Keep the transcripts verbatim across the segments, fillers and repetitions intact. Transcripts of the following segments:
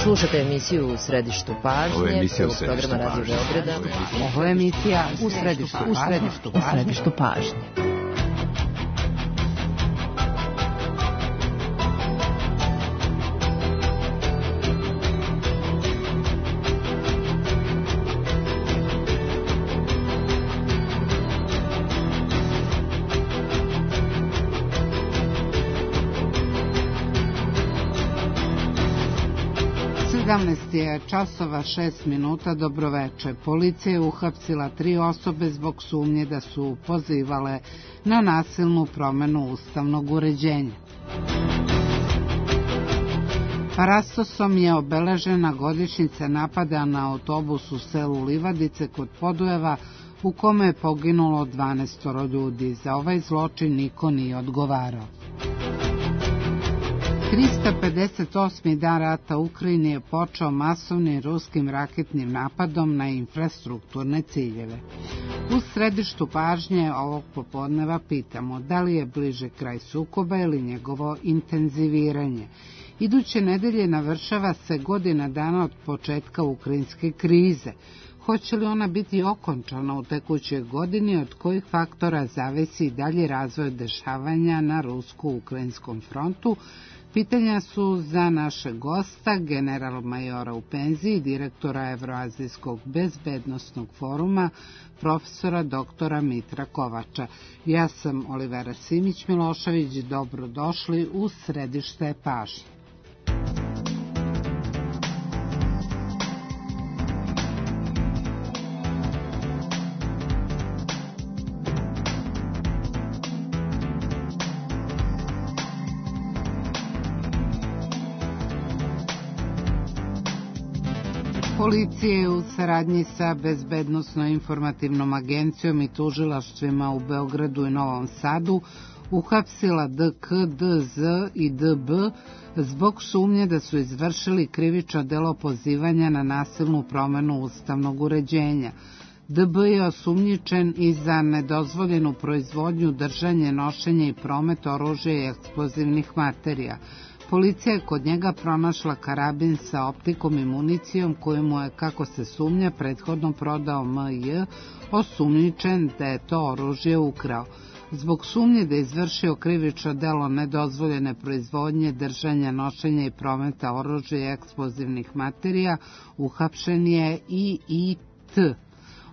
Slušate emisiju U središtu pažnje. Ovo je emisija U središtu programa Radio Beograda. Ovo je emisija U središtu pažnje. U središtu pažnje. sedamnaest je časova šest minuta, dobroveče. Policija je uhapsila tri osobe zbog sumnje da su pozivale na nasilnu promenu ustavnog uređenja. Parastosom je obeležena godišnjica napada na autobus u selu Livadice kod Podujeva, u kome je poginulo dvanaest ljudi. Za ovaj zločin niko nije odgovarao. trista pedeset osmi dan rata u Ukrajini je počeo masovnim ruskim raketnim napadom na infrastrukturne ciljeve. U središtu pažnje ovog popodneva pitamo da li je bliže kraj sukoba ili njegovo intenziviranje. Iduće nedelje navršava se godina dana od početka ukrajinske krize. Hoće li ona biti okončana u tekućoj godini, od kojih faktora zavisi i dalje razvoj dešavanja na rusko-ukrajinskom frontu? Pitanja su za našeg gosta, general majora u penziji, direktora Evroazijskog bezbednosnog foruma, profesora doktora Mitra Kovača. Ja sam Olivera Simić-Milošević, dobrodošli u središte pažnje. Policija je u saradnji sa Bezbednosno-informativnom agencijom i tužilaštvima u Beogradu i Novom Sadu uhapsila D K, D Z i D B zbog sumnje da su izvršili krivično delo pozivanja na nasilnu promenu ustavnog uređenja. D B je osumnjičen i za nedozvoljenu proizvodnju, držanje, nošenje i promet oružja i eksplozivnih materija. Policija je kod njega pronašla karabin sa optikom i municijom koju mu je, kako se sumnja, prethodno prodao M J, osumnjičen da je to oružje ukrao. Zbog sumnje da je izvršio krivično delo nedozvoljene proizvodnje, držanja, nošenja i prometa oružja i eksplozivnih materija, uhapšen je I I T.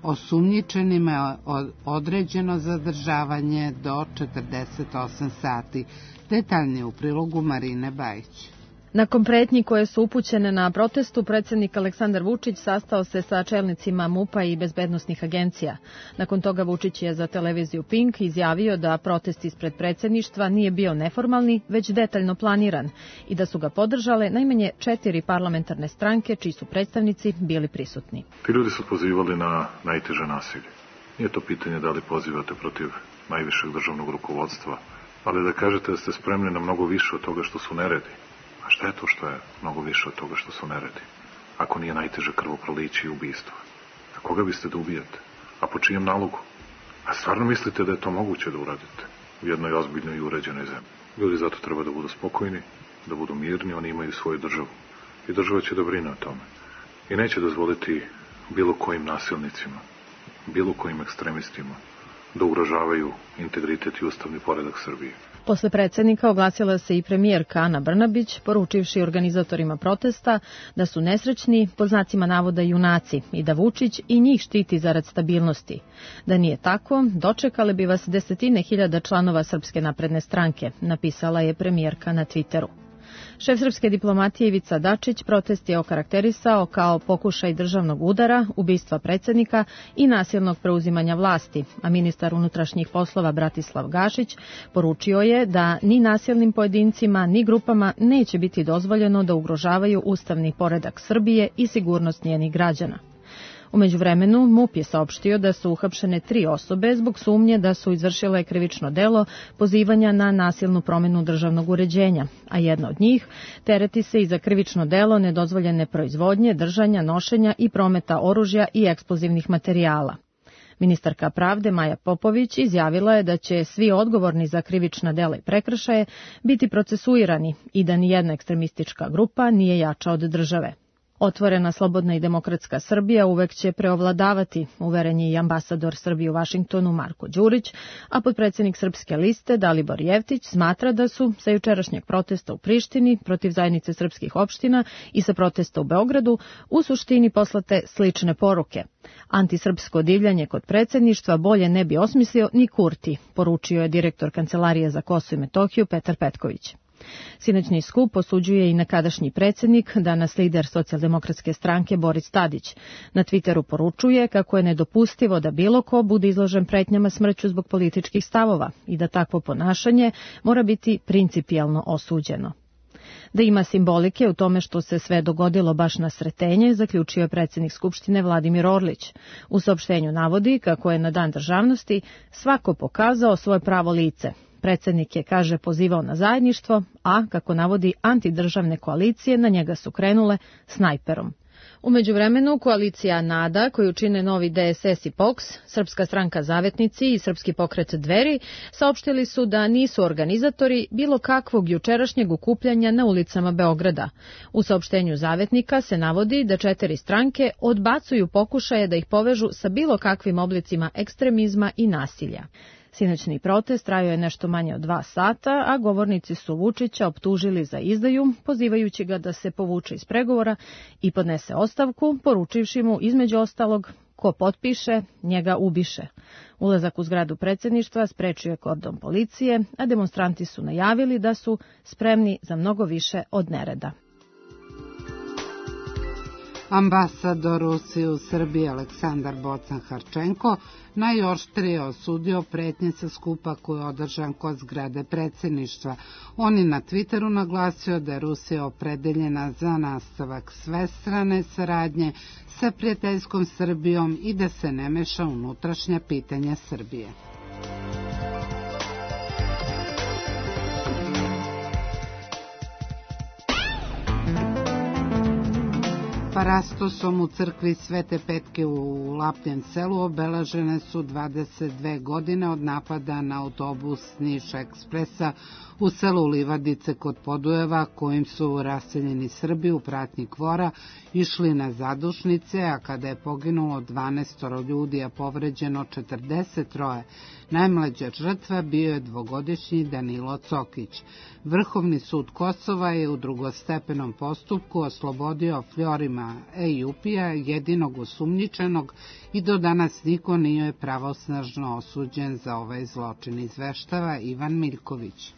Osumnjičenima je određeno zadržavanje do četrdeset osam sati. Detaljnije u prilogu Marine Bajić. Nakon pretnji koje su upućene na protestu, predsjednik Aleksandar Vučić sastao se sa čelnicima M U P-a i bezbednosnih agencija. Nakon toga Vučić je za televiziju Pink izjavio da protest ispred predsjedništva nije bio neformalni, već detaljno planiran i da su ga podržale najmanje četiri parlamentarne stranke čiji su predstavnici bili prisutni. Ti ljudi su pozivali na najteže nasilje. Nije to pitanje da li pozivate protiv najvišeg državnog rukovodstva, ali da kažete da ste spremni na mnogo više od toga što su neredi. A šta je to što je mnogo više od toga što su neredi? Ako nije najteže krvoproliće i ubistvo. A koga biste da ubijate? A po čijem nalogu? A stvarno mislite da je to moguće da uradite u jednoj ozbiljnoj i uređenoj zemlji? Ljudi zato treba da budu spokojni, da budu mirni, oni imaju svoju državu. I država će da brine o tome. I neće dozvoliti bilo kojim nasilnicima, bilo kojim ekstremistima da ugrožavaju integritet i ustavni poredak Srbije. Posle predsjednika oglasila se i premijerka Ana Brnabić, poručivši organizatorima protesta da su nesrećni, pod znacima navoda junaci, i da Vučić i njih štiti zarad stabilnosti. Da nije tako, dočekale bi vas desetine hiljada članova Srpske napredne stranke, napisala je premijerka na Twitteru. Šef srpske diplomatije Ivica Dačić protest je okarakterisao kao pokušaj državnog udara, ubistva predsjednika i nasilnog preuzimanja vlasti, a ministar unutrašnjih poslova Bratislav Gašić poručio je da ni nasilnim pojedincima ni grupama neće biti dozvoljeno da ugrožavaju ustavni poredak Srbije i sigurnost njenih građana. U međuvremenu M U P je saopštio da su uhapšene tri osobe zbog sumnje da su izvršile krivično delo pozivanja na nasilnu promenu državnog uređenja, a jedna od njih tereti se i za krivično delo nedozvoljene proizvodnje, držanja, nošenja i prometa oružja i eksplozivnih materijala. Ministarka pravde Maja Popović izjavila je da će svi odgovorni za krivična dela i prekršaje biti procesuirani i da nijedna ekstremistička grupa nije jača od države. Otvorena, slobodna i demokratska Srbija uvek će preovladavati, uveren je i ambasador Srbije u Vašingtonu Marko Đurić, a potpredsednik Srpske liste Dalibor Jevtić smatra da su sa jučerašnjeg protesta u Prištini protiv zajednice srpskih opština i sa protesta u Beogradu u suštini poslate slične poruke. Antisrpsko divljanje kod predsedništva bolje ne bi osmislio ni Kurti, poručio je direktor Kancelarije za Kosovo i Metohiju Petar Petković. Sinoćni skup osuđuje i nekadašnji predsednik, danas lider Socijaldemokratske stranke Boris Tadić. Na Twitteru poručuje kako je nedopustivo da bilo ko bude izložen pretnjama smrću zbog političkih stavova i da takvo ponašanje mora biti principijelno osuđeno. Da ima simbolike u tome što se sve dogodilo baš na Sretenje, zaključio je predsednik Skupštine Vladimir Orlić. U saopštenju navodi kako je na Dan državnosti svako pokazao svoje pravo lice. Predsednik je, kaže, pozivao na zajedništvo, a, kako navodi, antidržavne koalicije na njega su krenule snajperom. U međuvremenu, koalicija NADA, koju čine Novi D S S i P O K S, Srpska stranka Zavetnici i Srpski pokret Dveri, saopštili su da nisu organizatori bilo kakvog jučerašnjeg okupljanja na ulicama Beograda. U saopštenju Zavetnika se navodi da četiri stranke odbacuju pokušaje da ih povežu sa bilo kakvim oblicima ekstremizma i nasilja. Sinoćni protest trajao je nešto manje od dva sata, a govornici su Vučića optužili za izdaju, pozivajući ga da se povuče iz pregovora i podnese ostavku, poručivši mu između ostalog ko potpiše, njega ubiše. Ulazak u zgradu predsedništva sprečio je kordon policije, a demonstranti su najavili da su spremni za mnogo više od nereda. Ambasador Rusije u Srbiji Aleksandar Bocan-Harčenko najoštrije osudio pretnje sa skupa koji je održan kod zgrade predsedništva. On je na Twitteru naglasio da je Rusija opredeljena za nastavak svestrane saradnje sa prijateljskom Srbijom i da se ne meša unutrašnja pitanja Srbije. Parastosom u crkvi Svete Petke u Lapljen selu obeležene su dvadeset dve godine od napada na autobus Niš Ekspresa u selu Livadice kod Podujeva, kojim su raseljeni Srbi u pratnji kvora išli na zadušnice, a kada je poginulo dvanaest ljudi, a povređeno četrdeset troje. Najmlađa žrtva bio je dvogodišnji Danilo Cokić. Vrhovni sud Kosova je u drugostepenom postupku oslobodio Florima Ejupija, jedinog osumnjičenog, i do danas niko nije pravosnažno osuđen za ovaj zločin, izveštava Ivan Miljković.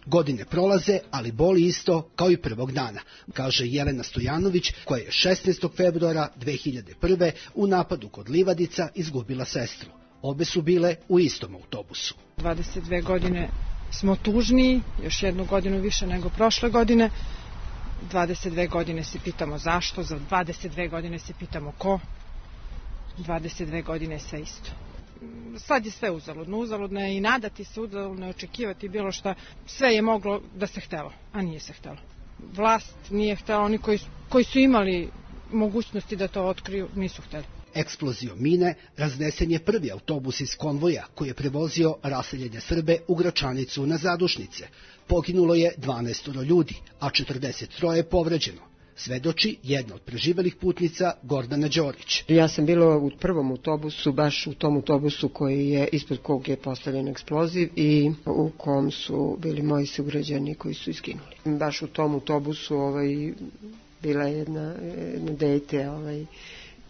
Godine prolaze, ali boli isto kao i prvog dana, kaže Jelena Stojanović, koja je šesnaestog februara dve hiljade prve. u napadu kod Livadica izgubila sestru. Obe su bile u istom autobusu. dvadeset dve godine smo tužniji, još jednu godinu više nego prošle godine. dvadeset dve godine se pitamo zašto, za dvadeset dve godine se pitamo ko. dvadeset dve godine je sve isto. Sad je sve uzaludno, uzaludno je i nadati se, uzaludno je očekivati bilo šta. Sve je moglo da se htelo, a nije se htelo. Vlast nije htela, oni koji, koji su imali mogućnosti da to otkriju, nisu hteli. Eksplozijom mine raznesen je prvi autobus iz konvoja koji je prevozio raseljene Srbe u Gračanicu na zadušnice. Poginulo je dvanaest ljudi, a četrdeset troje je povređeno. Svedoči jedna od preživelih putnica Gordana Đorić. Ja sam bila u prvom autobusu, baš u tom autobusu koji je, ispod kog je postavljen eksploziv i u kom su bili moji sugrađani koji su izginuli. Baš u tom autobusu ovaj, bila je jedna, jedna dete, ovaj,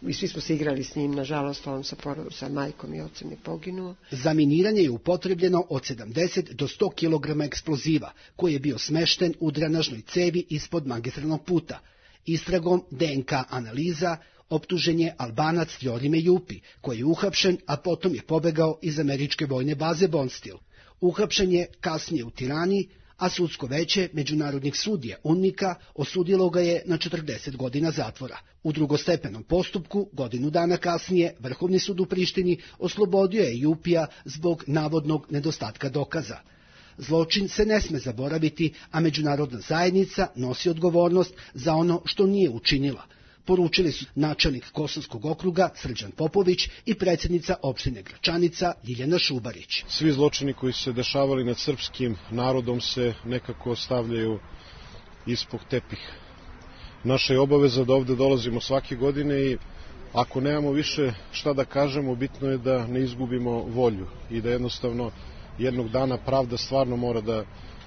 i svi smo se igrali s njim, nažalost on sa, sa majkom i ocem je poginuo. Za miniranje je upotrebljeno od sedamdeset do sto kilograma eksploziva, koji je bio smešten u drenažnoj cevi ispod magistralnog puta. Istragom D N K analiza optužen je Albanac Florime Jupi, koji je uhapšen, a potom je pobegao iz američke vojne baze Bonstil. Uhapšen je kasnije u Tirani, a sudsko veće međunarodnih sudija UNMIK-a osudilo ga je na četrdeset godina zatvora. U drugostepenom postupku, godinu dana kasnije, Vrhovni sud u Prištini oslobodio je Jupija zbog navodnog nedostatka dokaza. Zločin se ne sme zaboraviti, a međunarodna zajednica nosi odgovornost za ono što nije učinila, poručili su načelnik Kosovskog okruga Srđan Popović i predsjednica opštine Gračanica Ljiljana Šubarić. Svi zločini koji su se dešavali nad srpskim narodom se nekako stavljaju ispod tepiha. naša je obaveza da ovde dolazimo svake godine i ako nemamo više šta da kažemo, bitno je da ne izgubimo volju i da jednostavno jednog dana pravda stvarno mora da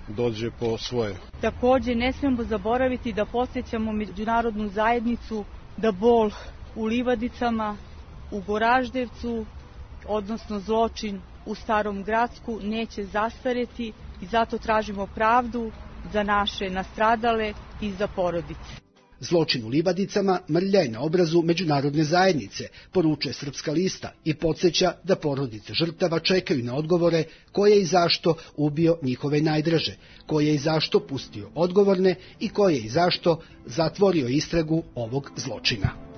dođe po svoje. Takođe ne smemo zaboraviti da podsjećamo međunarodnu zajednicu da bol u Livadicama, u Goraždevcu, odnosno zločin u Starom Gracku neće zastareti i zato tražimo pravdu za naše nastradale i za porodice. Zločin u Livadicama mrlja je na obrazu međunarodne zajednice, poručuje Srpska lista i podsjeća da porodice žrtava čekaju na odgovore ko je i zašto ubio njihove najdraže, ko je i zašto pustio odgovorne i ko je i zašto zatvorio istragu ovog zločina.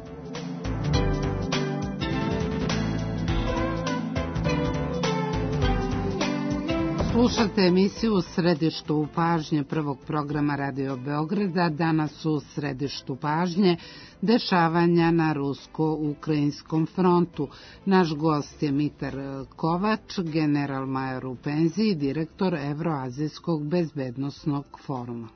Slušate emisiju u središtu pažnje prvog programa Radio Beograda. Danas u središtu pažnje dešavanja na rusko-ukrajinskom frontu. Naš gost je Mitar Kovač, general-major u penziji, direktor Evroazijskog bezbednosnog foruma.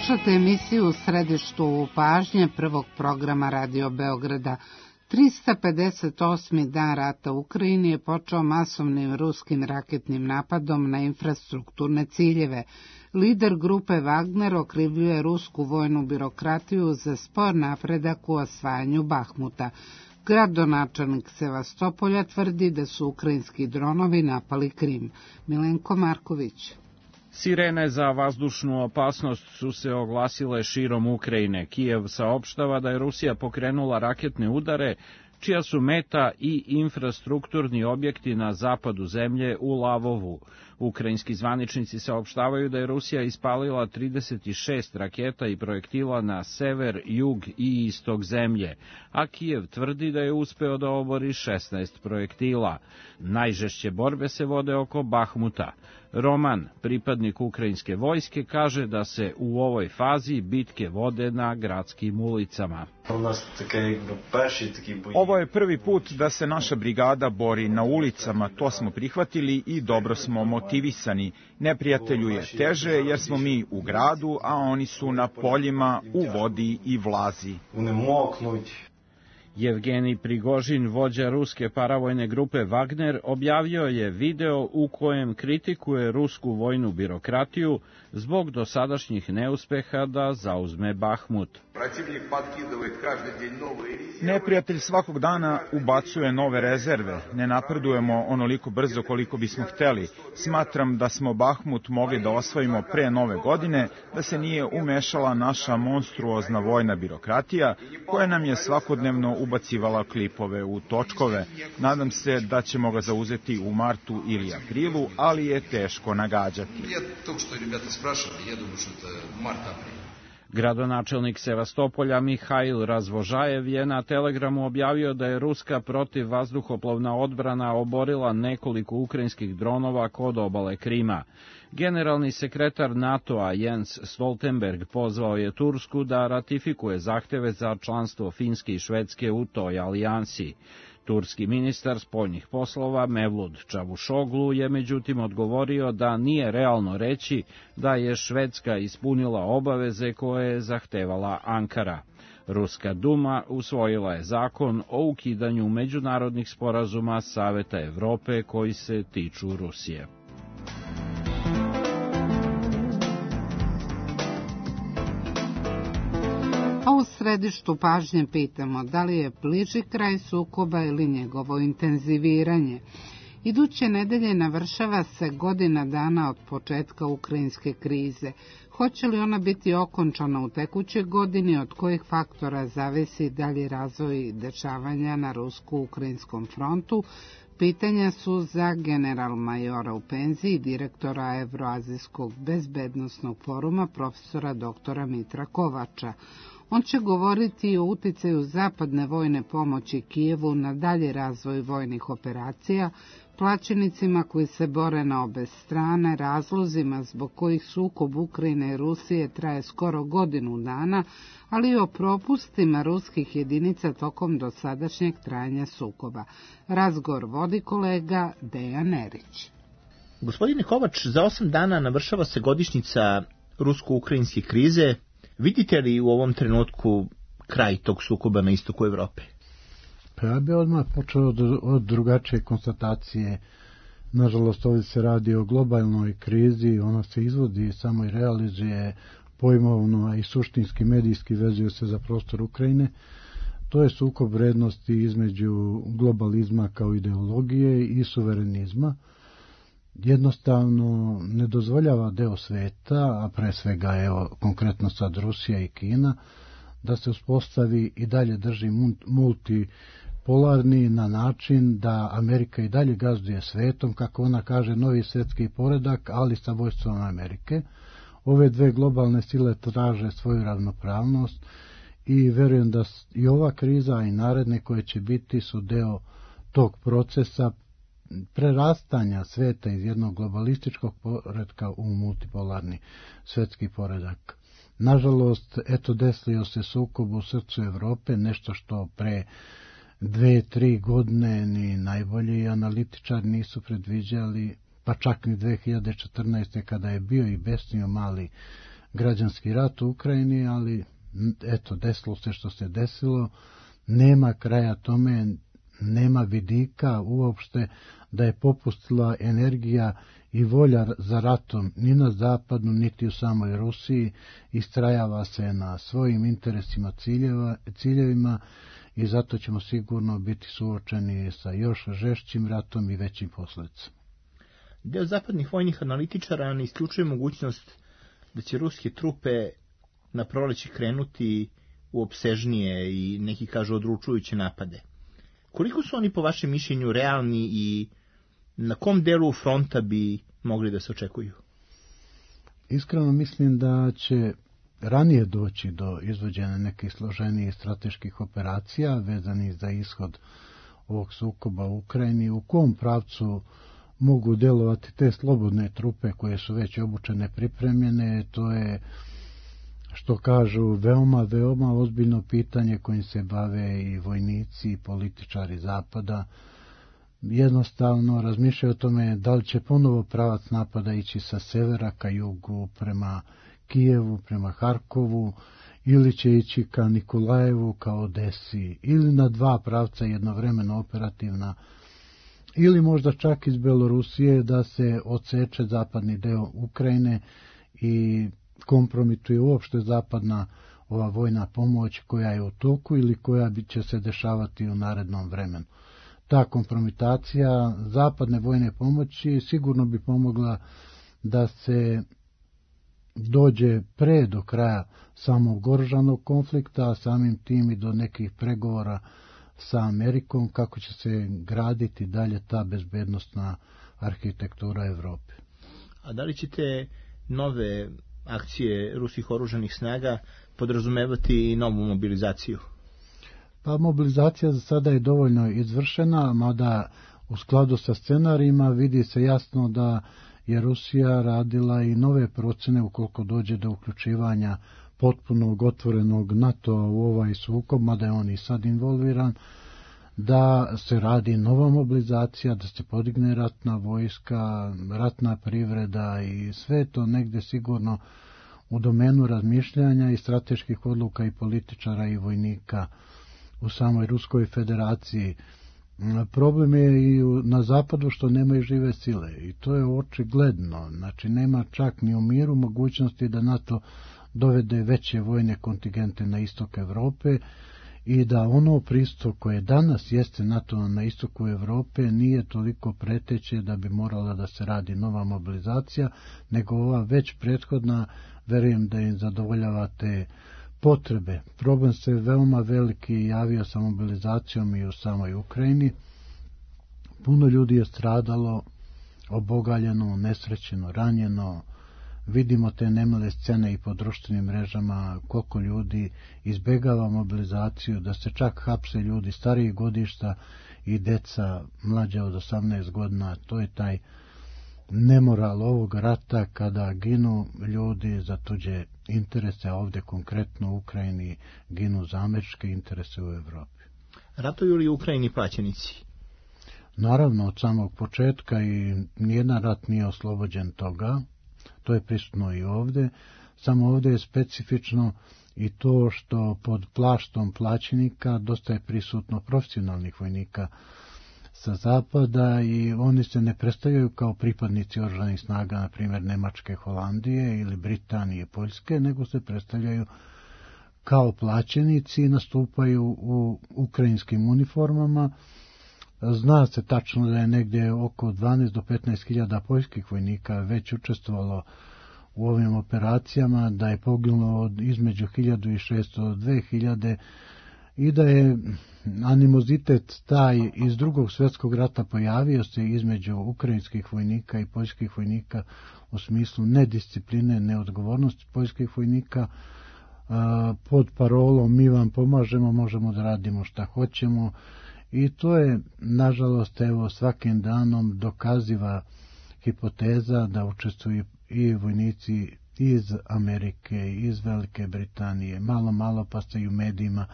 Slušate emisiju u središtu pažnje prvog programa Radio Beograda. trista pedeset osmi dan rata u Ukrajini je počeo masovnim ruskim raketnim napadom na infrastrukturne ciljeve. Lider grupe Wagner okrivljuje rusku vojnu birokratiju za spor napredak u osvajanju Bahmuta. Gradonačelnik Sevastopolja tvrdi da su ukrajinski dronovi napali Krim. Milenko Marković. Sirene za vazdušnu opasnost su se oglasile širom Ukrajine. Kijev saopštava da je Rusija pokrenula raketne udare, čija su meta i infrastrukturni objekti na zapadu zemlje u Lavovu. Ukrajinski zvaničnici saopštavaju da je Rusija ispalila trideset šest raketa i projektila na sever, jug i istok zemlje, a Kijev tvrdi da je uspeo da obori šesnaest projektila. Najžešće borbe se vode oko Bahmuta. Roman, pripadnik ukrajinske vojske, kaže da se u ovoj fazi bitke vode na gradskim ulicama. Ovo je prvi put da se naša brigada bori na ulicama, to smo prihvatili i dobro smo motivirani. aktivisani. Neprijatelju je teže jer smo mi u gradu, a oni su na poljima, u vodi i vlazi. Jevgenij Prigožin, vođa ruske paravojne grupe Wagner, objavio je video u kojem kritikuje rusku vojnu birokratiju zbog dosadašnjih neuspeha da zauzme Bahmut. Neprijatelj svakog dana ubacuje nove rezerve. Ne napredujemo onoliko brzo koliko bismo hteli. Smatram da smo Bahmut mogli da osvojimo pre nove godine, da se nije umešala naša monstruozna vojna birokratija, koja nam je svakodnevno ubacivala klipove u točkove. Nadam se da ćemo ga zauzeti u martu ili aprilu, ali je teško nagađati. Gradonačelnik Sevastopolja Mihail Razvožajev je na Telegramu objavio da je ruska protivvazduhoplovna odbrana oborila nekoliko ukrajinskih dronova kod obale Krima. Generalni sekretar NATO-a Jens Stoltenberg pozvao je Tursku da ratifikuje zahteve za članstvo Finske i Švedske u toj alijansi. Turski ministar spoljnih poslova Mevlut Čavušoglu je međutim odgovorio da nije realno reći da je Švedska ispunila obaveze koje je zahtevala Ankara. Ruska Duma usvojila je zakon o ukidanju međunarodnih sporazuma Saveta Evrope koji se tiču Rusije. A u središtu pažnje pitamo da li je bliži kraj sukoba ili njegovo intenziviranje. Iduće nedelje navršava se godina dana od početka ukrajinske krize. Hoće li ona biti okončana u tekućoj godini, od kojih faktora zavisi dalji razvoj dešavanja na rusko-ukrajinskom frontu? Pitanja su za general-majora u penziji, direktora Evroazijskog bezbednosnog foruma, profesora doktora Mitra Kovača. On će govoriti o uticaju zapadne vojne pomoći Kijevu na dalji razvoj vojnih operacija, plaćenicima koji se bore na obe strane, razlozima zbog kojih sukob Ukrajine i Rusije traje skoro godinu dana, ali i o propustima ruskih jedinica tokom dosadašnjeg trajanja sukoba. Razgovor vodi kolega Dejan Erić. Gospodine Kovač, za osam dana navršava se godišnjica rusko-ukrajinske krize. Vidite li u ovom trenutku kraj tog sukoba na istoku Evrope? Pa ja bih odmah počeo od, od drugačije konstatacije. Nažalost, ovdje se radi o globalnoj krizi, ona se izvodi, samo i realizuje pojmovno, a i suštinski medijski vezuje se za prostor Ukrajine. To je sukob vrednosti između globalizma kao ideologije i suverenizma. Jednostavno ne dozvoljava deo sveta, a pre svega evo konkretno sad Rusija i Kina, da se uspostavi i dalje drži multipolarni na način da Amerika i dalje gazduje svetom, kako ona kaže, novi svetski poredak, ali sa vojstvom Amerike. Ove dve globalne sile traže svoju ravnopravnost i verujem da i ova kriza i naredne koje će biti su deo tog procesa prerastanja sveta iz jednog globalističkog poredka u multipolarni svetski poredak. Nažalost, eto desio se sukob u srcu Evrope, nešto što pre dve, tri godine ni najbolji analitičari nisu predviđali, pa čak ni dve hiljade četrnaeste. kada je bio i besnio mali građanski rat u Ukrajini, ali eto desilo se što se desilo, nema kraja tome, nema vidika uopšte da je popustila energija i volja za ratom ni na zapadu, niti u samoj Rusiji, istrajava se na svojim interesima, ciljeva, ciljevima i zato ćemo sigurno biti suočeni sa još žešćim ratom i većim posledicama. Deo zapadnih vojnih analitičara ne isključuje mogućnost da će ruske trupe na proleće krenuti u opsežnije i neki kažu odlučujuće napade. Koliko su oni po vašem mišljenju realni i na kom delu fronta bi mogli da se očekuju? Iskreno mislim da će ranije doći do izvođenja nekih složenijih strateških operacija vezanih za ishod ovog sukoba u Ukrajini, u kom pravcu mogu delovati te slobodne trupe koje su već obučene, pripremljene. To je, što kažu, veoma, veoma ozbiljno pitanje kojim se bave i vojnici i političari Zapada. jednostavno razmišljaju o tome da li će ponovo pravac napada ići sa severa ka jugu prema Kijevu, prema Harkovu, ili će ići ka Nikolajevu, ka Odesi, ili na dva pravca jednovremeno operativna, ili možda čak iz Belorusije da se odseče zapadni deo Ukrajine i kompromituje uopšte zapadna ova vojna pomoć koja je u toku ili koja će se dešavati u narednom vremenu. Ta kompromitacija zapadne vojne pomoći sigurno bi pomogla da se dođe pre do kraja samog oružanog konflikta, a samim tim i do nekih pregovora sa Amerikom kako će se graditi dalje ta bezbednostna arhitektura Evrope. A da li ćete nove akcije ruskih oružanih snaga podrazumevati i novu mobilizaciju? Pa mobilizacija za sada je dovoljno izvršena, mada u skladu sa scenarijima vidi se jasno da je Rusija radila i nove procene ukoliko dođe do uključivanja potpunog otvorenog NATO u ovaj sukob, mada je on i sad involviran, da se radi nova mobilizacija, da se podigne ratna vojska, ratna privreda i sve to negde sigurno u domenu razmišljanja i strateških odluka i političara i vojnika u samoj Ruskoj federaciji. Problem je i na zapadu što nemaju žive sile i to je očigledno. Znači nema čak ni u miru mogućnosti da NATO dovede veće vojne kontingente na istok Evrope i da ono prisustvo koje danas jeste NATO na istoku Evrope nije toliko preteće da bi morala da se radi nova mobilizacija, nego ova već prethodna, verujem da im zadovoljava te potrebe. Problem se veoma veliki javio sa mobilizacijom i u samoj Ukrajini. Puno ljudi je stradalo, obogaljeno, nesrećeno, ranjeno. Vidimo te nemile scene i po društvenim mrežama, koliko ljudi izbegava mobilizaciju, da se čak hapse ljudi starijih godišta i deca mlađa od osamnaest godina. To je taj nemoral ovog rata kada ginu ljudi za tuđe interese, a ovdje konkretno u Ukrajini ginu za američke interese u Evropi. Ratuju li u Ukrajini plaćenici? Naravno, od samog početka i nijedan rat nije oslobođen toga. To je prisutno i ovdje. Samo ovdje je specifično i to što pod plaštom plaćenika dosta je prisutno profesionalnih vojnika sa zapada i oni se ne predstavljaju kao pripadnici oružanih snaga, na primjer Nemačke, Holandije ili Britanije, Poljske, nego se predstavljaju kao plaćenici i nastupaju u ukrajinskim uniformama. Zna se tačno da je negdje oko dvanaest do petnaest hiljada poljskih vojnika već učestvovalo u ovim operacijama, da je poginulo između hiljadu i šesto do dve hiljade i da je animozitet taj iz drugog svjetskog rata pojavio se između ukrajinskih vojnika i poljskih vojnika u smislu nediscipline, neodgovornosti poljskih vojnika pod parolom mi vam pomažemo, možemo da radimo šta hoćemo. I to je, nažalost, evo, svakim danom dokaziva hipoteza da učestvuju i vojnici iz Amerike, iz Velike Britanije. Malo, malo pa se i u medijima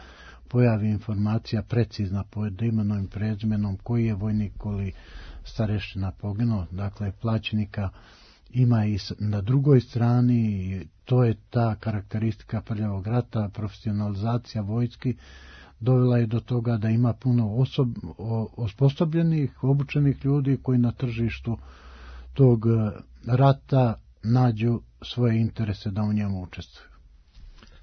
pojavi informacija precizna pod imenom i prezimenom koji je vojnik ili starešina poginuo. Dakle, plaćenika ima i na drugoj strani i to je ta karakteristika prljavog rata, profesionalizacija vojski, dovela je do toga da ima puno osob, osposobljenih, obučenih ljudi koji na tržištu tog rata nađu svoje interese da u njemu učestvuju.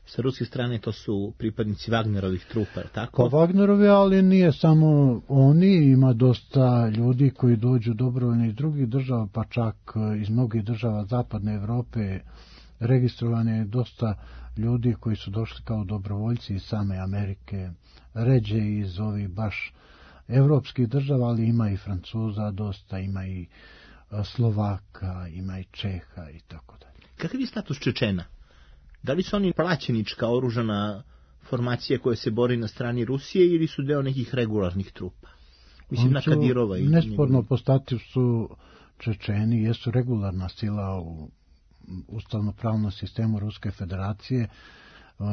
Sa ruske strane to su pripadnici Wagnerovih trupa, tako? Pa Wagnerovi, ali nije samo oni, ima dosta ljudi koji dođu dobrovoljno iz drugih država, pa čak iz mnogih država zapadne Evrope. Registrovane je dosta ljudi koji su došli kao dobrovoljci iz same Amerike, ređe iz ovih baš evropskih država, ali ima i Francuza dosta, ima i Slovaka, ima i Čeha i tako dalje. Kakav je status Čečena? Da li su oni plaćenička oružana formacija koja se bori na strani Rusije ili su deo nekih regularnih trupa? Mislim na Kadirova i nesporno po statusu Čečeni jesu regularna sila u ustavno-pravnom sistemu Ruske federacije.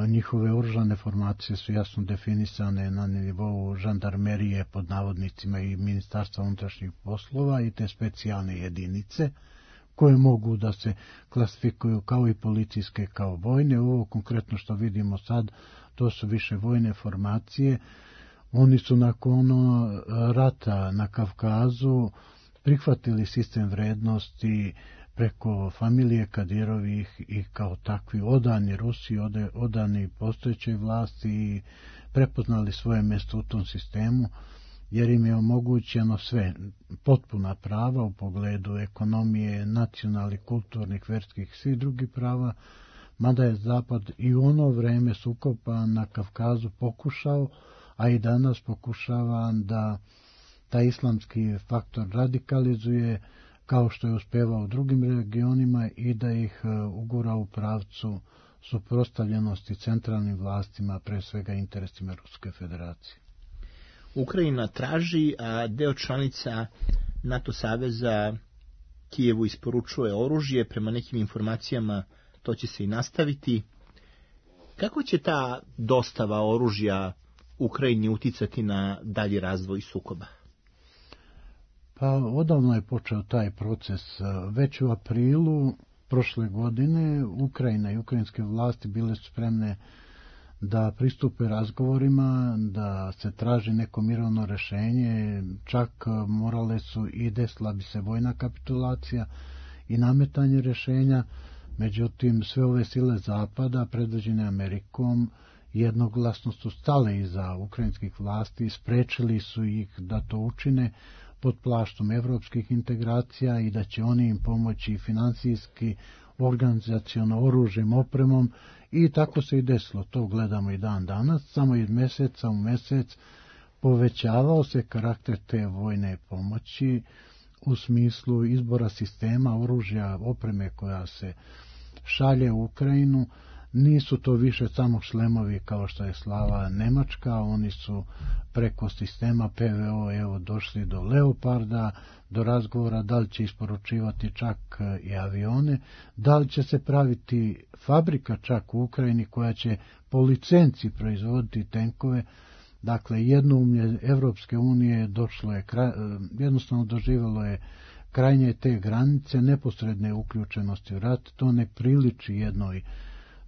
Njihove oružane formacije su jasno definisane na nivou žandarmerije pod navodnicima i Ministarstva unutrašnjih poslova i te specijalne jedinice koje mogu da se klasifikuju kao i policijske kao vojne. Ovo konkretno što vidimo sad, to su više vojne formacije. Oni su nakon rata na Kavkazu prihvatili sistem vrednosti preko familije Kadirovih i kao takvi odani Rusiji, odani postojećoj vlasti i prepoznali svoje mjesto u tom sistemu, jer im je omogućeno sve, potpuna prava u pogledu ekonomije, nacionalnih, kulturnih, verskih, svih drugih prava, mada je Zapad i u ono vreme sukoba na Kavkazu pokušao, a i danas pokušava da taj islamski faktor radikalizuje, kao što je uspevao u drugim regionima, i da ih ugura u pravcu suprotstavljenosti centralnim vlastima, pre svega interesima Ruske federacije. Ukrajina traži, a deo članica NATO saveza Kijevu isporučuje oružje, prema nekim informacijama to će se i nastaviti. Kako će ta dostava oružja Ukrajini uticati na dalji razvoj sukoba? Pa odavno je počeo taj proces. Već u aprilu prošle godine Ukrajina i ukrajinske vlasti bile su spremne da pristupe razgovorima, da se traži neko mirovno rešenje, čak morale su i desila bi se vojna kapitulacija i nametanje rešenja. Međutim, sve ove sile Zapada, predvođene Amerikom, jednoglasno su stale iza ukrajinskih vlasti i sprečili su ih da to učine pod plaštom evropskih integracija i da će oni im pomoći finansijski, organizaciono, oružjem, opremom, i tako se i desilo. To gledamo i dan danas. Samo iz meseca u mesec povećavao se karakter te vojne pomoći u smislu izbora sistema, oružja, opreme koja se šalje u Ukrajinu. Nisu to više samo šlemovi kao što je slala Nemačka, oni su preko sistema P V O evo došli do Leoparda, do razgovora da li će isporučivati čak i avione, da li će se praviti fabrika čak u Ukrajini koja će po licenci proizvoditi tenkove. Dakle, jednoumlje Evropske unije došlo je, jednostavno doživjelo je krajnje te granice neposredne uključenosti u rat. To ne priliči jednoj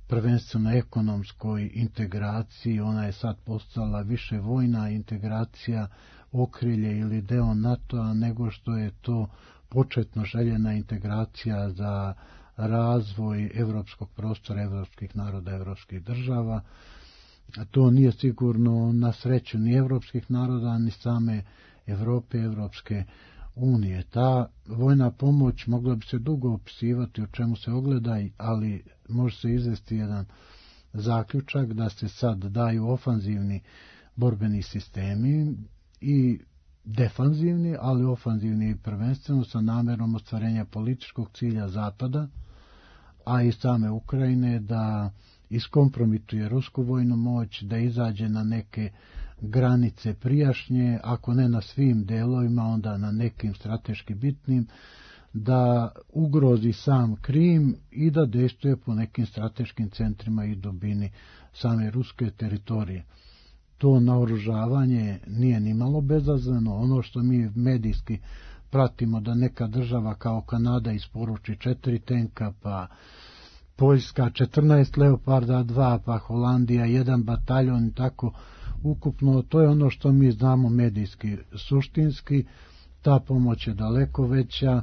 prvenstveno ekonomskoj integraciji, ona je sad postala više vojna integracija, okrilje ili deo NATO-a, nego što je to početno željena integracija za razvoj evropskog prostora, evropskih naroda, evropskih država. To nije sigurno na sreću ni evropskih naroda, ni same Evrope, Evropske unije. Ta vojna pomoć mogla bi se dugo opisivati o čemu se ogleda, ali može se izvesti jedan zaključak da se sad daju ofanzivni borbeni sistemi i defanzivni, ali ofanzivni prvenstveno sa namerom ostvarenja političkog cilja Zapada, a i same Ukrajine, da iskompromituje rusku vojnu moć, da izađe na neke granice prijašnje, ako ne na svim delovima, onda na nekim strateški bitnim, da ugrozi sam Krim i da dejstvuje po nekim strateškim centrima i dubini same ruske teritorije. To naoružavanje nije nimalo bezazleno. Ono što mi medijski pratimo, da neka država kao Kanada isporuči četiri tenka, pa Poljska četrnaest Leoparda dva, pa Holandija jedan bataljon i tako ukupno, to je ono što mi znamo medijski. Suštinski ta pomoć je daleko veća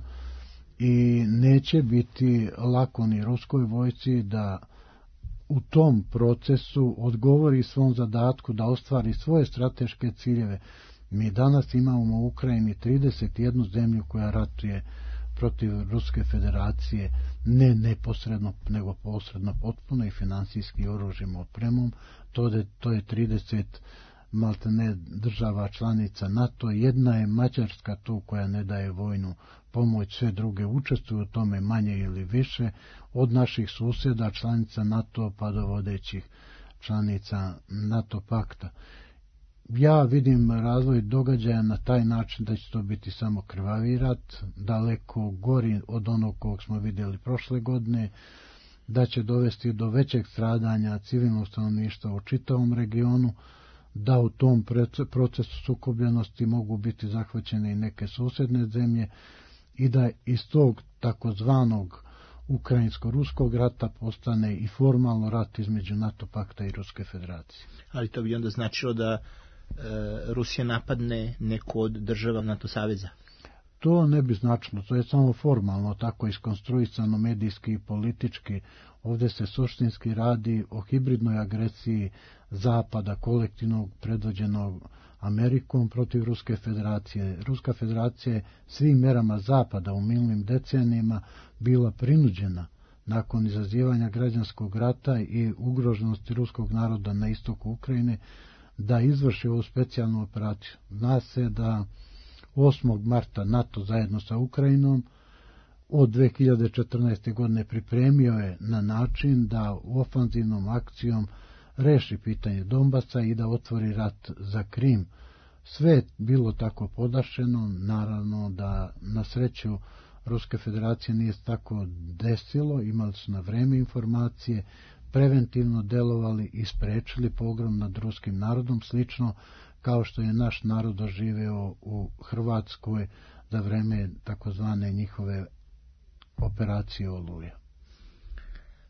i neće biti lako ni ruskoj vojsci da u tom procesu odgovori svom zadatku da ostvari svoje strateške ciljeve. Mi danas imamo u Ukrajini trideset jednu zemlju koja ratuje protiv Ruske federacije, ne neposredno, nego posredno, potpuno i finansijski oružjem, opremom. To je, to je trideset maltene država članica NATO. Jedna je Mađarska tu koja ne daje vojnu pomoć, sve druge učestvuju u tome manje ili više, od naših susjeda članica NATO pa do vodećih članica NATO pakta. Ja vidim razvoj događaja na taj način da će to biti samo krvavi rat, daleko gori od onog kog smo vidjeli prošle godine, da će dovesti do većeg stradanja civilnog stanovništva u čitavom regionu, da u tom procesu sukobljenosti mogu biti zahvaćene i neke susjedne zemlje i da iz tog takozvanog ukrajinsko-ruskog rata postane i formalno rat između NATO pakta i Ruske federacije. Ali to bi onda značilo da e, Rusija napadne neku od država NATO saveza? To ne bi značilo, to je samo formalno tako iskonstruisano medijski i politički. Ovdje se suštinski radi o hibridnoj agresiji Zapada, kolektivnog predvođenog Amerikom protiv Ruske federacije. Ruska federacija je svim merama Zapada u minulnim decenijima bila prinuđena nakon izazivanja građanskog rata i ugroženosti ruskog naroda na istoku Ukrajine da izvrši ovu specijalnu operaciju. Zna se da osmog marta NATO zajedno sa Ukrajinom od dve hiljade četrnaeste. godine pripremio je na način da ofanzivnom akcijom reši pitanje Donbasa i da otvori rat za Krim. Sve je bilo tako podašeno, naravno da na sreću Ruske federacije nije tako desilo, imali su na vreme informacije, preventivno delovali i sprečili pogrom nad ruskim narodom, slično kao što je naš narod doživeo u Hrvatskoj za vreme takozvane njihove operacije Oluja.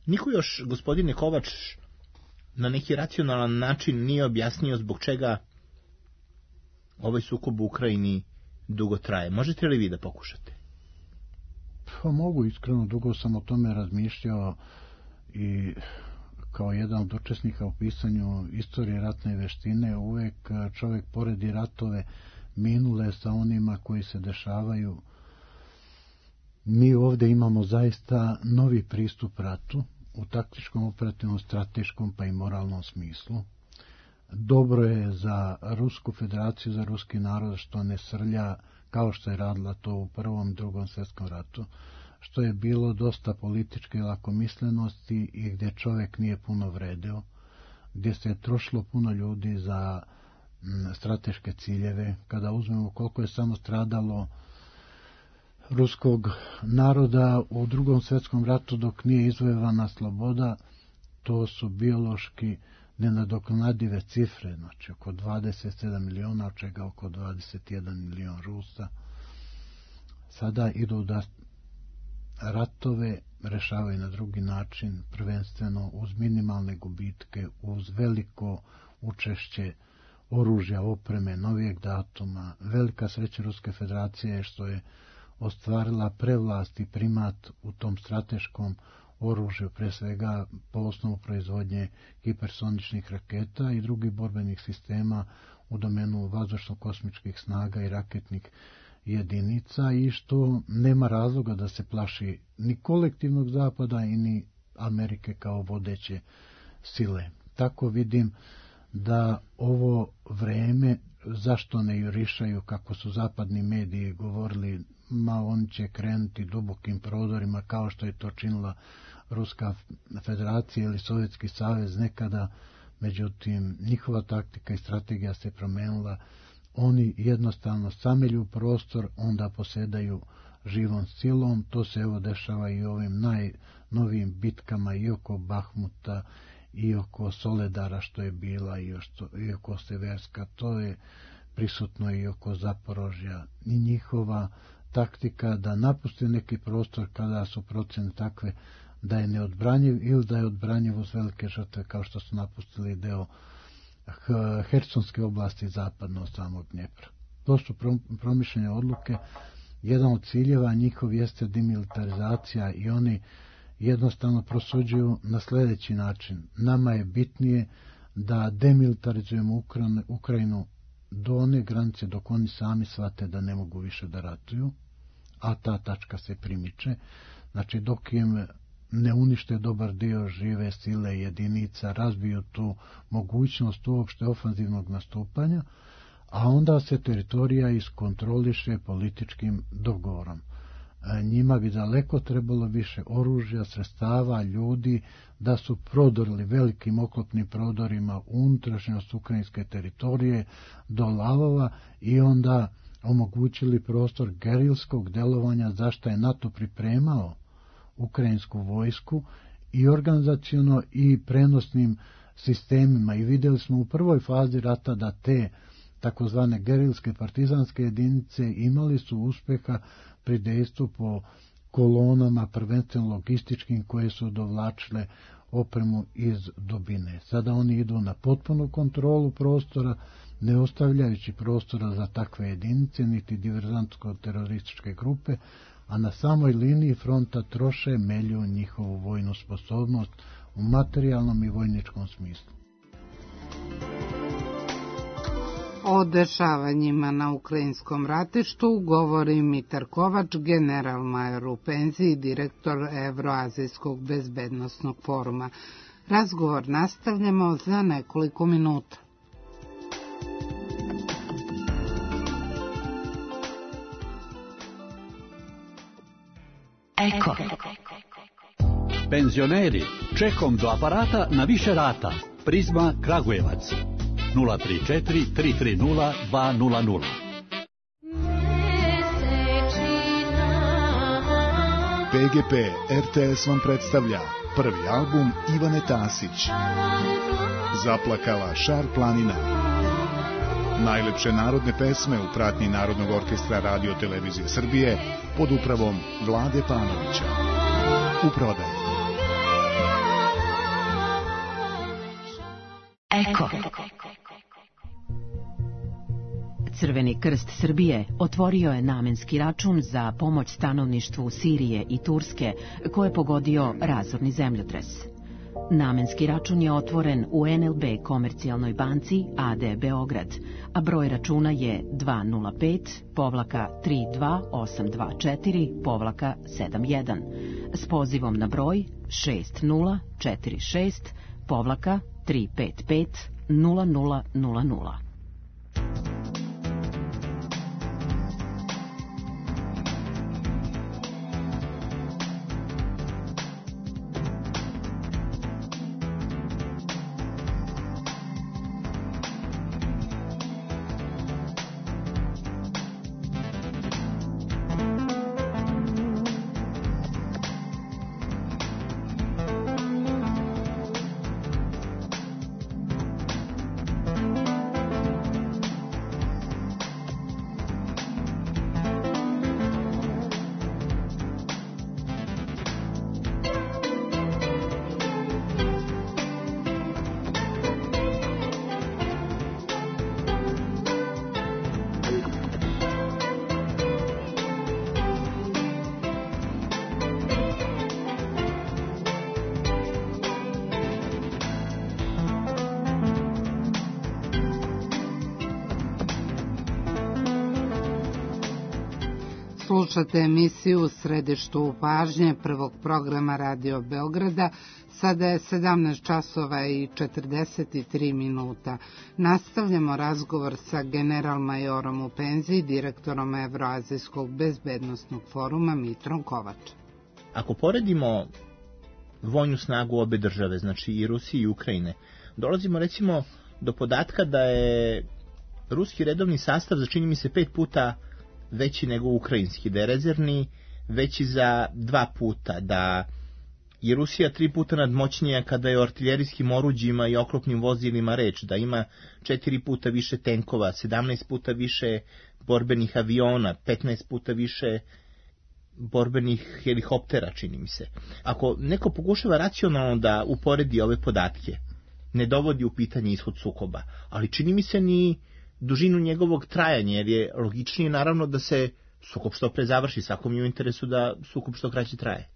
Niko još, gospodine Kovač, na neki racionalan način nije objasnio zbog čega ovaj sukob u Ukrajini dugo traje. Možete li vi da pokušate? Pa mogu, iskreno, dugo sam o tome razmišljao i kao jedan od učesnika u pisanju istorije ratne veštine uvek čovjek poredi ratove minule sa onima koji se dešavaju. Mi ovdje imamo zaista novi pristup ratu u taktičkom, operativnom, strateškom pa i moralnom smislu. Dobro je za Rusku federaciju, za ruski narod što ne srlja kao što je radila to u prvom i drugom svjetskom ratu, što je bilo dosta političke lakomislenosti i gdje čovjek nije puno vredio, gdje se je trošilo puno ljudi za m, strateške ciljeve. Kada uzmemo koliko je samo stradalo ruskog naroda u drugom svjetskom ratu dok nije izvojevana sloboda, to su biološki nenadoknadive cifre, znači oko dvadeset sedam miliona, od čega oko dvadeset jedan milion Rusa. Sada idu da ratove rešavaju na drugi način, prvenstveno uz minimalne gubitke, uz veliko učešće oružja, opreme, novijeg datuma. Velika sreća Ruske federacije je što je ostvarila prevlast i primat u tom strateškom oružju, pre svega po osnovu proizvodnje hipersoničnih raketa i drugih borbenih sistema u domenu vazdušno-kosmičkih snaga i raketnih jedinica, i što nema razloga da se plaši ni kolektivnog Zapada i ni Amerike kao vodeće sile. Tako vidim da ovo vreme, zašto ne jurišaju, kako su zapadni mediji govorili, ma oni će krenuti dubokim prodorima kao što je to činila Ruska federacija ili Sovjetski savez nekada, međutim njihova taktika i strategija se promenila. Oni jednostavno samelju prostor, onda posedaju živom silom. To se evo dešava i ovim najnovijim bitkama i oko Bahmuta i oko Soledara što je bila i, ošto, i oko Severska. To je prisutno i oko Zaporožja. I njihova taktika da napusti neki prostor kada su procene takve da je neodbranjiv ili da je odbranjiv uz velike žrtve, kao što su napustili deo Hersonske oblasti zapadno od samog Dnjepra. To su promišljene odluke. Jedan od ciljeva njihov jeste demilitarizacija i oni jednostavno prosuđuju na sljedeći način. Nama je bitnije da demilitarizujemo Ukrajinu do one granice dok oni sami shvate da ne mogu više da ratuju, a ta tačka se primiče. Znači dok im ne unište dobar dio žive sile jedinica, razbiju tu mogućnost uopšte ofanzivnog nastupanja, a onda se teritorija iskontroliše političkim dogovorom. Njima bi daleko trebalo više oružja, sredstava, ljudi, da su prodorili velikim oklopnim prodorima unutrašnjost ukrajinske teritorije do lavova i onda omogućili prostor gerilskog delovanja, zašto je NATO pripremao ukrajinsku vojsku i organizaciono i prenosnim sistemima i vidjeli smo u prvoj fazi rata da te takozvane gerilske partizanske jedinice imali su uspeha pri dejstvu po kolonama, prvenstveno logističkim, koje su dovlačile opremu iz dubine. Sada oni idu na potpunu kontrolu prostora, ne ostavljajući prostora za takve jedinice, niti diverzantsko-terorističke grupe, a na samoj liniji fronta troše, melju njihovu vojnu sposobnost u materijalnom i vojničkom smislu. O dešavanjima na ukrajinskom ratištu govori Mitar Kovač, general-major u penziji, direktor Evroazijskog bezbednosnog foruma. Razgovor nastavljamo za nekoliko minuta. Eko. Penzioneri, čekom do aparata na više rata. Prizma Kragujevac. nula tri četiri tri tri nula dva nula nula. P G P R T S vam predstavlja prvi album Ivane Tasić. Zaplakala Šar planina. Najlepše narodne pesme u pratnji Narodnog orkestra Radio Televizije Srbije pod upravom Vlade Panovića. U prodaju. Eko. Crveni krst Srbije otvorio je namenski račun za pomoć stanovništvu Sirije i Turske koje je pogodio razorni zemljotres. Namenski račun je otvoren u N L B Komercijalnoj banci A D Beograd, a broj računa je dva nula pet tri dva osam dva četiri sedam jedan s pozivom na broj šest nula četiri šest tri pet pet nula nula nula nula. Slušate emisiju u središtu pažnje prvog programa Radio Beograda. Sada je sedamnaest časova i četrdeset tri minuta. Nastavljamo razgovor sa general-majorom u penziji, direktorom Evroazijskog bezbednosnog foruma Mitrom Kovačem. Ako poredimo vojnu snagu obe države, znači i Rusije i Ukrajine, dolazimo recimo do podatka da je ruski redovni sastav za čini mi se pet puta veći nego ukrajinski, da je rezervni veći za dva puta, da je Rusija tri puta nadmoćnija kada je o artiljerijskim oruđima i oklopnim vozilima reč, da ima četiri puta više tenkova, sedamnaest puta više borbenih aviona, petnaest puta više borbenih helikoptera, čini mi se. Ako neko pokušava racionalno da uporedi ove podatke, ne dovodi u pitanje ishod sukoba, ali čini mi se ni dužinu njegovog trajanja, jer je logičnije naravno da se sukob što pre završi, svakom je u interesu da sukob što kraće traje.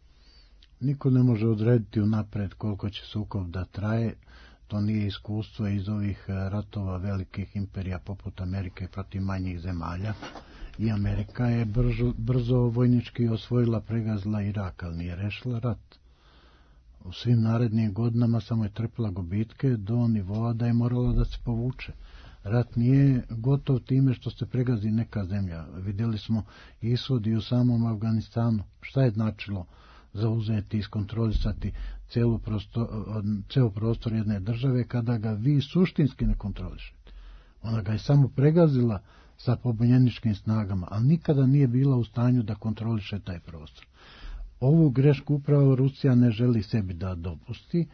Niko ne može odrediti unapred koliko će sukob da traje, to nije iskustvo iz ovih ratova velikih imperija poput Amerike protiv manjih zemalja, i Amerika je brzo, brzo vojnički osvojila, pregazila Irak, ali nije rešila rat. U svim narednim godinama samo je trpila gubitke do nivoa da je morala da se povuče. Rat nije gotov time što se pregazi neka zemlja. Vidjeli smo ishod i u samom Afganistanu. Šta je značilo zauzeti i iskontrolisati celu prostor, ceo prostor jedne države kada ga vi suštinski ne kontrolišete? Ona ga je samo pregazila sa pobunjeničkim snagama, ali nikada nije bila u stanju da kontroliše taj prostor. Ovu grešku upravo Rusija ne želi sebi da dopusti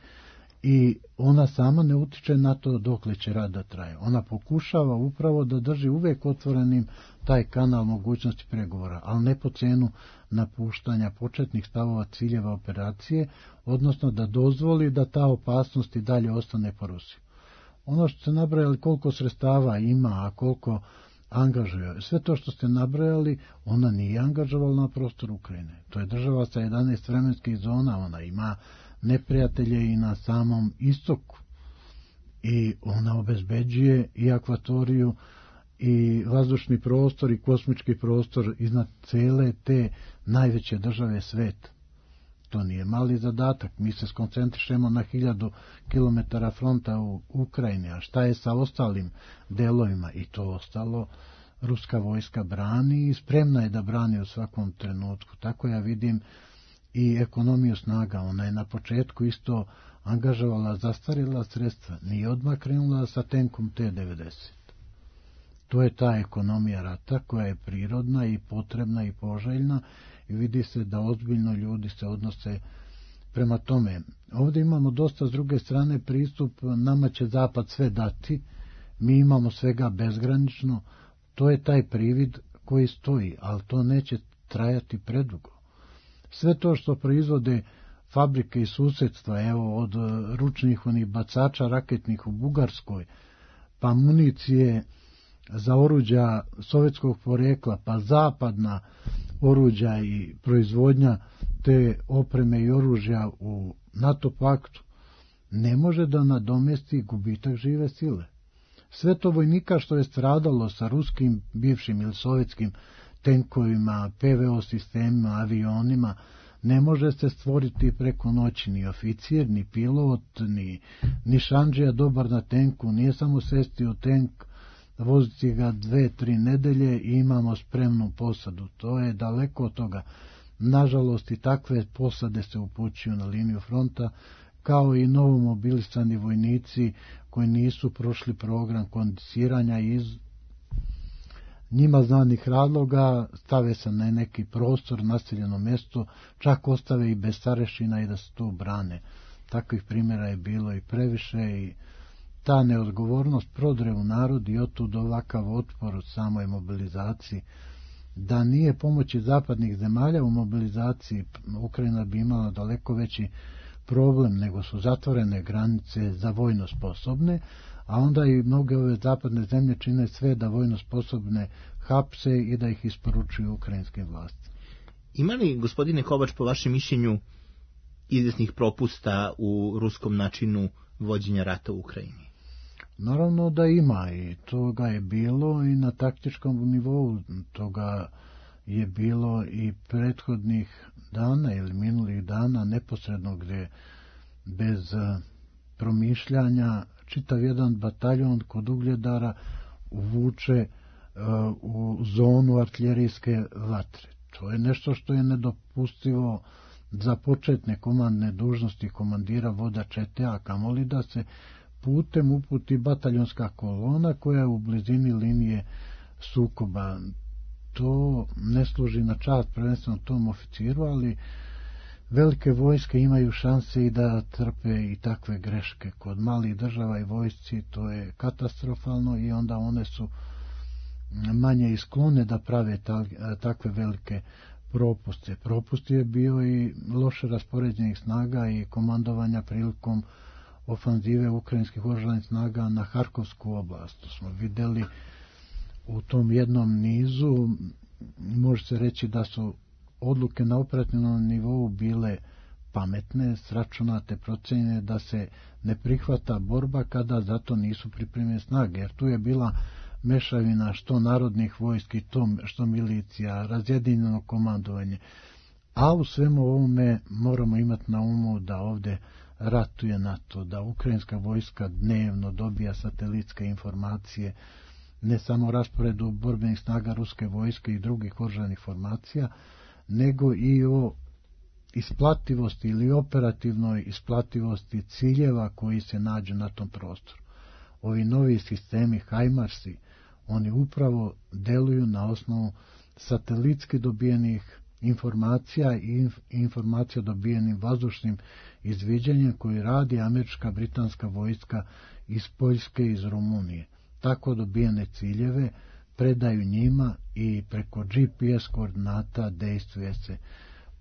i ona sama ne utiče na to dokle će rat da traje. Ona pokušava upravo da drži uvek otvorenim taj kanal mogućnosti pregovora, ali ne po cenu napuštanja početnih stavova ciljeva operacije, odnosno da dozvoli da ta opasnost i dalje ostane po Rusiji. Ono što ste nabrajali koliko sredstava ima, a koliko angažuje, sve to što ste nabrajali, ona nije angažovala na prostoru Ukrajine. To je država sa jedanaest vremenskih zona, ona ima neprijatelje i na samom istoku. I ona obezbeđuje i akvatoriju i vazdušni prostor i kosmički prostor iznad cele te najveće države sveta. To nije mali zadatak. Mi se skoncentrišemo na hiljadu kilometara fronta u Ukrajini, a šta je sa ostalim delovima? I to ostalo ruska vojska brani i spremna je da brani u svakom trenutku. Tako ja vidim i ekonomiju snaga. Ona je na početku isto angažovala zastarjela sredstva. Nije odmah krenula sa tenkom T devedeset. To je ta ekonomija rata koja je prirodna i potrebna i poželjna i vidi se da ozbiljno ljudi se odnose prema tome. Ovdje imamo dosta s druge strane pristup, nama će Zapad sve dati, mi imamo svega bezgranično, to je taj privid koji stoji, ali to neće trajati predugo. Sve to što proizvode fabrike i susjedstva, evo od ručnih onih bacača raketnih u Bugarskoj, pa municije za oruđa sovjetskog porekla, pa zapadna oruđa i proizvodnja te opreme i oružja u NATO paktu, ne može da nadomesti gubitak žive sile. Sve to vojnika što je stradalo sa ruskim, bivšim ili sovjetskim tenkovima, P V O sistemima, avionima, ne može se stvoriti preko noći ni oficir, ni pilot, ni, ni šanđija dobar na tenku, nije samo sesti u tenk, voziti ga dve, tri nedelje i imamo spremnu posadu. To je daleko od toga. Nažalost, i takve posade se upućuju na liniju fronta, kao i novomobilisani vojnici koji nisu prošli program kondiciranja iz njima znanih razloga, stave se na neki prostor, naseljeno mjesto, čak ostave i bez starešina i da se tu brane. Takvih primjera je bilo i previše i ta neodgovornost prodre u narod i otud ovakav otpor od samoj mobilizaciji. Da nije pomoći zapadnih zemalja u mobilizaciji, Ukrajina bi imala daleko veći problem, nego su zatvorene granice za vojno sposobne, a onda i mnoge ove zapadne zemlje čine sve da vojno sposobne hapse i da ih isporučuju ukrajinskim vlastima. Ima li, gospodine Kovač, po vašem mišljenju izvesnih propusta u ruskom načinu vođenja rata u Ukrajini? Naravno da ima i toga je bilo i na taktičkom nivou, toga je bilo i prethodnih dana ili minulih dana neposredno gdje bez promišljanja čitav jedan bataljon kod Ugledara uvuče uh, u zonu artiljerijske vatre. To je nešto što je nedopustivo za početne komandne dužnosti komandira voda čete, a kamoli da se putem uputi bataljonska kolona koja je u blizini linije sukoba. To ne služi na čast prvenstveno tom oficiru, ali velike vojske imaju šanse i da trpe i takve greške. Kod malih država i vojsci to je katastrofalno i onda one su manje isklone da prave ta, takve velike propuste. Propust je bio i loše raspoređenih snaga i komandovanja prilikom ofanzive ukrajinskih oružanih snaga na Harkovsku oblast. To smo videli u tom jednom nizu. Može se reći da su odluke na operativnom nivou bile pametne, sračunate, procenjene da se ne prihvata borba kada zato nisu pripremljene snage, jer tu je bila mešavina što narodnih vojski, to što milicija, razjedinjeno komandovanje. A u svemu ovome moramo imati na umu da ovdje ratuje NATO, da ukrajinska vojska dnevno dobija satelitske informacije, ne samo rasporedu borbenih snaga ruske vojske i drugih oružanih formacija, nego i o isplativosti ili operativnoj isplativosti ciljeva koji se nađu na tom prostoru. Ovi novi sistemi HIMARS-i, oni upravo deluju na osnovu satelitski dobijenih informacija i informacija dobijenim vazdušnim izviđanjem koji radi američka britanska vojska iz Poljske i iz Rumunije. Tako dobijene ciljeve predaju njima i preko G P S koordinata dejstvuje se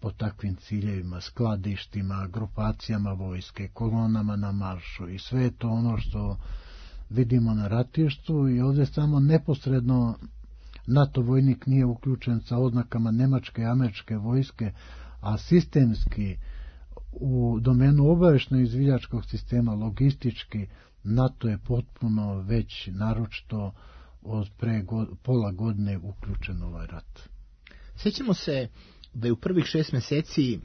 po takvim ciljevima, skladištima, grupacijama vojske, kolonama na maršu i sve to ono što vidimo na ratištu i ovdje samo neposredno NATO vojnik nije uključen sa oznakama nemačke i američke vojske, a sistemski u domenu obavještajno izviđačkog sistema, logistički, NATO je potpuno već naročito od pre god, pola godine uključen u ovaj rat. Sjećamo se da je u prvih šest mjeseci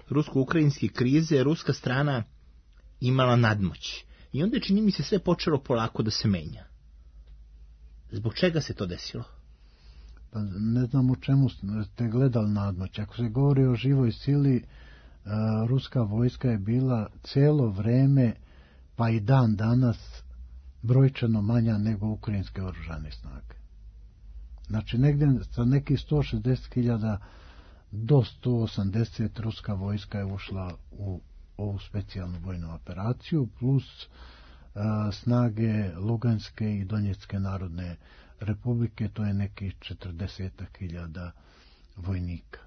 rusko-ukrajinske krize ruska strana imala nadmoć. I onda je, čini mi se, sve počelo polako da se menja. Zbog čega se to desilo? Pa ne znam u čemu ste gledali nadmoć. Ako se govori o živoj sili, ruska vojska je bila cijelo vreme, pa i dan danas, brojčano manja nego ukrajinske oružane snage. Znači negdje sa nekih sto šezdeset hiljada do sto osamdeset ruska vojska je ušla u ovu specijalnu vojnu operaciju, plus a, snage Luganske i Donjecke narodne republike, to je nekih četrdeset hiljada vojnika.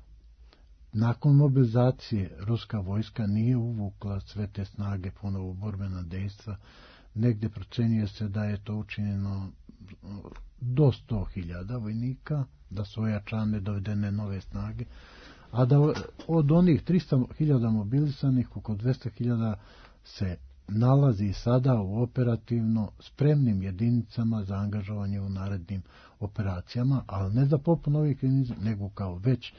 Nakon mobilizacije ruska vojska nije uvukla sve te snage ponovo u borbena dejstva, negdje procenjuje se da je to učinjeno do sto hiljada vojnika, da su ojačane dovedene nove snage, a da od onih tristo hiljada mobilisanih oko dvesta hiljada se nalazi sada u operativno spremnim jedinicama za angažovanje u narednim operacijama, ali ne za popun ovih jedinica, nego kao već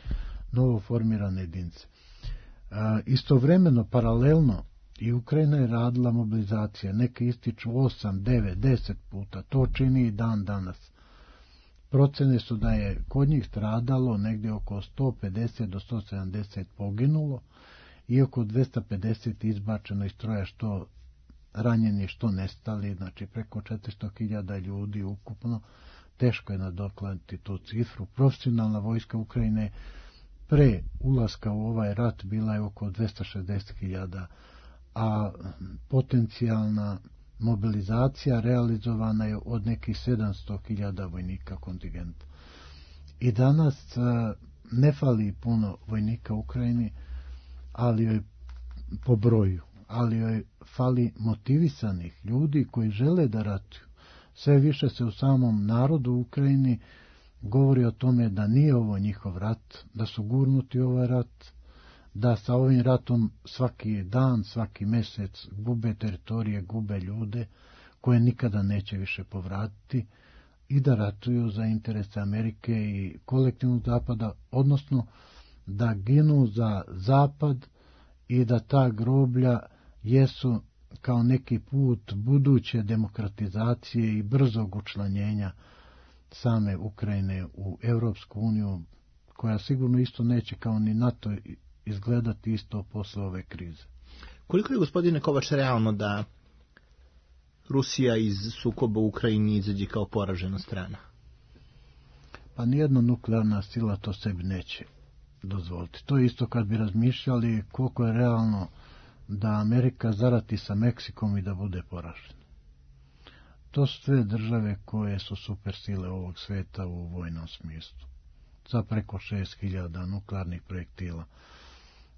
novo formirane jedinice. E, istovremeno, paralelno, i Ukrajina je radila mobilizacije, neke ističu osam, devet, deset puta, to čini i dan danas. Procene su da je kod njih stradalo negdje oko sto pedeset do sto sedamdeset poginulo i oko dvesta pedeset izbačeno iz stroja, što ranjeni, što nestali, znači preko četiristo hiljada ljudi ukupno. Teško je nadoknaditi tu cifru. Profesionalna vojska Ukrajine pre ulaska u ovaj rat bila je oko dvesta šezdeset hiljada, a potencijalna mobilizacija realizovana je od nekih sedamsto hiljada vojnika kontingenta. I danas ne fali puno vojnika u Ukrajini, ali joj po broju, ali joj fali motivisanih ljudi koji žele da ratuju. Sve više se u samom narodu u Ukrajini govori o tome da nije ovo njihov rat, da su gurnuti u ovaj rat, da sa ovim ratom svaki dan, svaki mjesec gube teritorije, gube ljude koje nikada neće više povratiti i da ratuju za interese Amerike i kolektivnog zapada, odnosno da ginu za zapad i da ta groblja jesu kao neki put buduće demokratizacije i brzog učlanjenja same Ukrajine u Europsku uniju, koja sigurno isto neće kao ni NATO izgledati isto posle ove krize. Koliko je, gospodine Kovač, realno da Rusija iz sukoba u Ukrajini izađe kao poražena strana? Pa nijedna nuklearna sila to sebi neće dozvoliti. To je isto kad bi razmišljali koliko je realno da Amerika zarati sa Meksikom i da bude poražena. To su sve države koje su supersile ovog sveta u vojnom smislu. Sa preko šest hiljada nuklearnih projektila.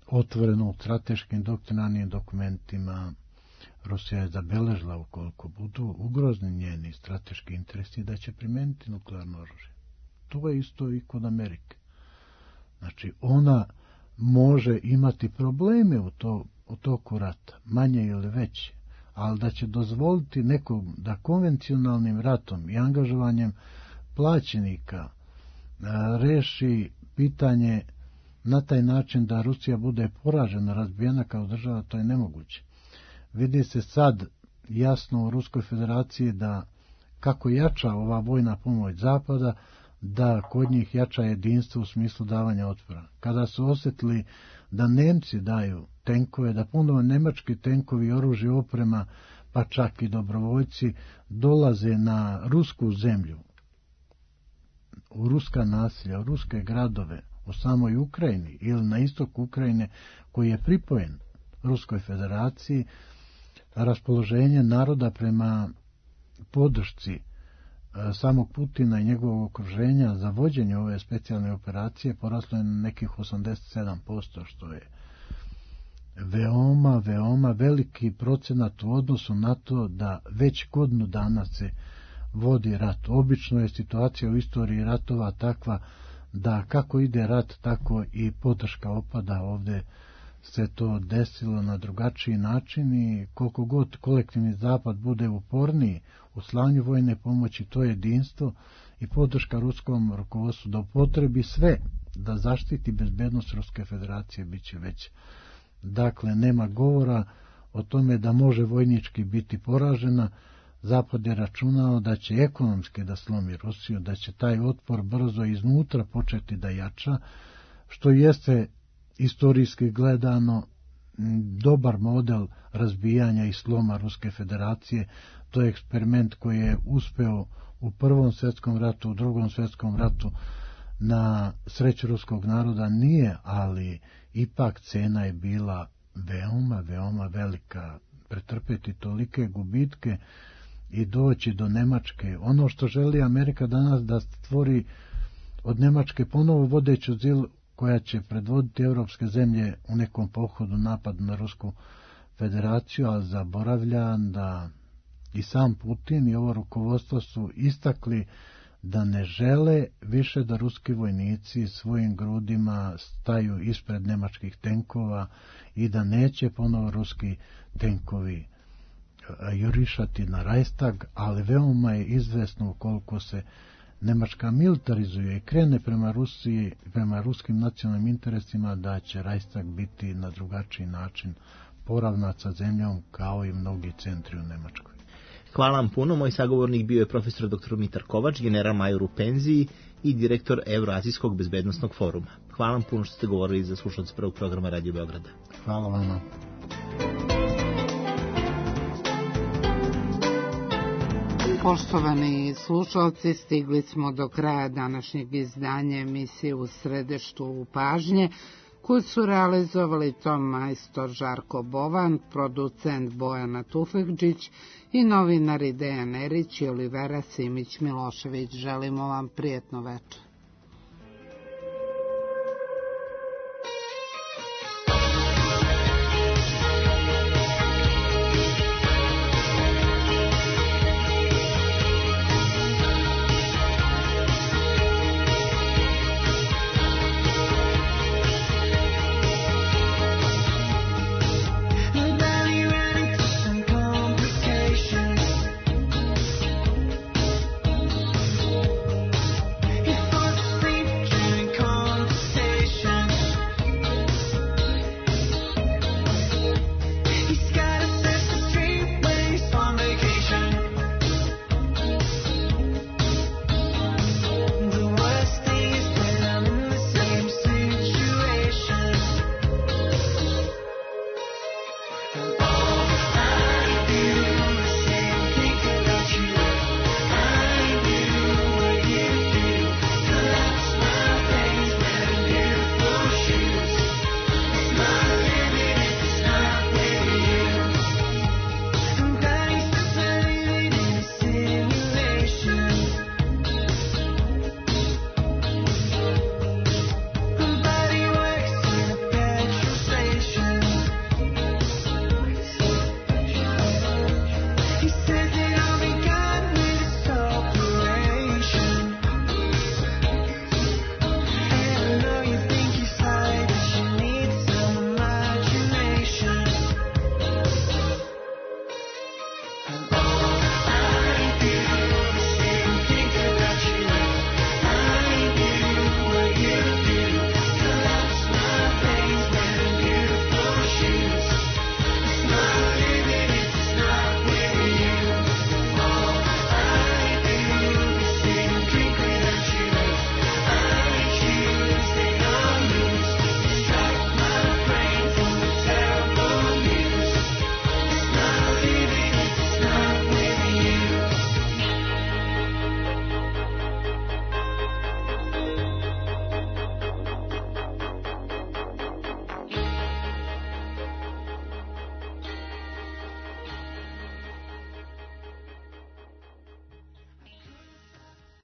Otvoreno u strateškim doktrinarnim dokumentima Rusija je zabeležila ukoliko budu ugrozni njeni strateški interesi da će primijeniti nuklearno oružje. To je isto i kod Amerike. Znači ona može imati probleme u, to, u toku rata, manje ili veće, ali da će dozvoliti nekom da konvencionalnim ratom i angažovanjem plaćenika a, reši pitanje na taj način da Rusija bude poražena, razbijena kao država, to je nemoguće. Vidi se sad jasno u Ruskoj federaciji da kako jača ova vojna pomoć Zapada, da kod njih jača jedinstvo u smislu davanja otpora. Kada su osjetili da Nemci daju tenkove, da ponovo nemački tenkovi, oružje, oprema, pa čak i dobrovoljci dolaze na rusku zemlju, u ruska naselja, u ruske gradove, u samoj Ukrajini ili na istoku Ukrajine koji je pripojen Ruskoj federaciji, raspoloženje naroda prema podršci samog Putina i njegovog okruženja za vođenje ove specijalne operacije poraslo je na nekih osamdeset sedam posto, što je veoma, veoma veliki procenat u odnosu na to da već godinu dana se vodi rat. Obično je situacija u istoriji ratova takva da kako ide rat, tako i podrška opada. Ovde se to desilo na drugačiji način i koliko god kolektivni zapad bude uporniji u slanju vojne pomoći, to jedinstvo i podrška ruskom rukovodstvu da upotrebi sve da zaštiti bezbednost Ruske federacije bit će već. Dakle, nema govora o tome da može vojnički biti poražena. Zapad je računao da će ekonomski da slomi Rusiju, da će taj otpor brzo iznutra početi da jača, što jeste istorijski gledano dobar model razbijanja i sloma Ruske federacije. To je eksperiment koji je uspeo u Prvom svjetskom ratu, u Drugom svjetskom ratu. Na sreću ruskog naroda nije, ali ipak cena je bila veoma, veoma velika. Pretrpeti tolike gubitke i doći do Nemačke. Ono što želi Amerika danas da stvori od Nemačke ponovo vodeću zilu koja će predvoditi evropske zemlje u nekom pohodu napad na Rusku federaciju, a zaboravlja da i sam Putin i ovo rukovodstvo su istakli da ne žele više da ruski vojnici svojim grudima staju ispred nemačkih tenkova i da neće ponovo ruski tenkovi jurišati na Reichstag, ali veoma je izvesno ukoliko se Nemačka militarizuje i krene prema Rusiji, prema ruskim nacionalnim interesima, da će Reichstag biti na drugačiji način poravnat sa zemljom kao i mnogi centri u Nemačkoj. Hvala vam puno. Moj sagovornik bio je profesor doktor Mitar Kovač, general major u penziji i direktor Evroazijskog bezbednostnog foruma. Hvala vam puno što ste govorili za slušalce prvog programa Radio Beograda. Hvala vam. Poštovani slušalci, stigli smo do kraja današnjeg izdanja emisije U središtu pažnje, koju su realizovali ton majstor Žarko Bovan, producent Bojana Tufekđić i novinari Dejan Erić i Olivera Simić Milošević. Želimo vam prijetno večer.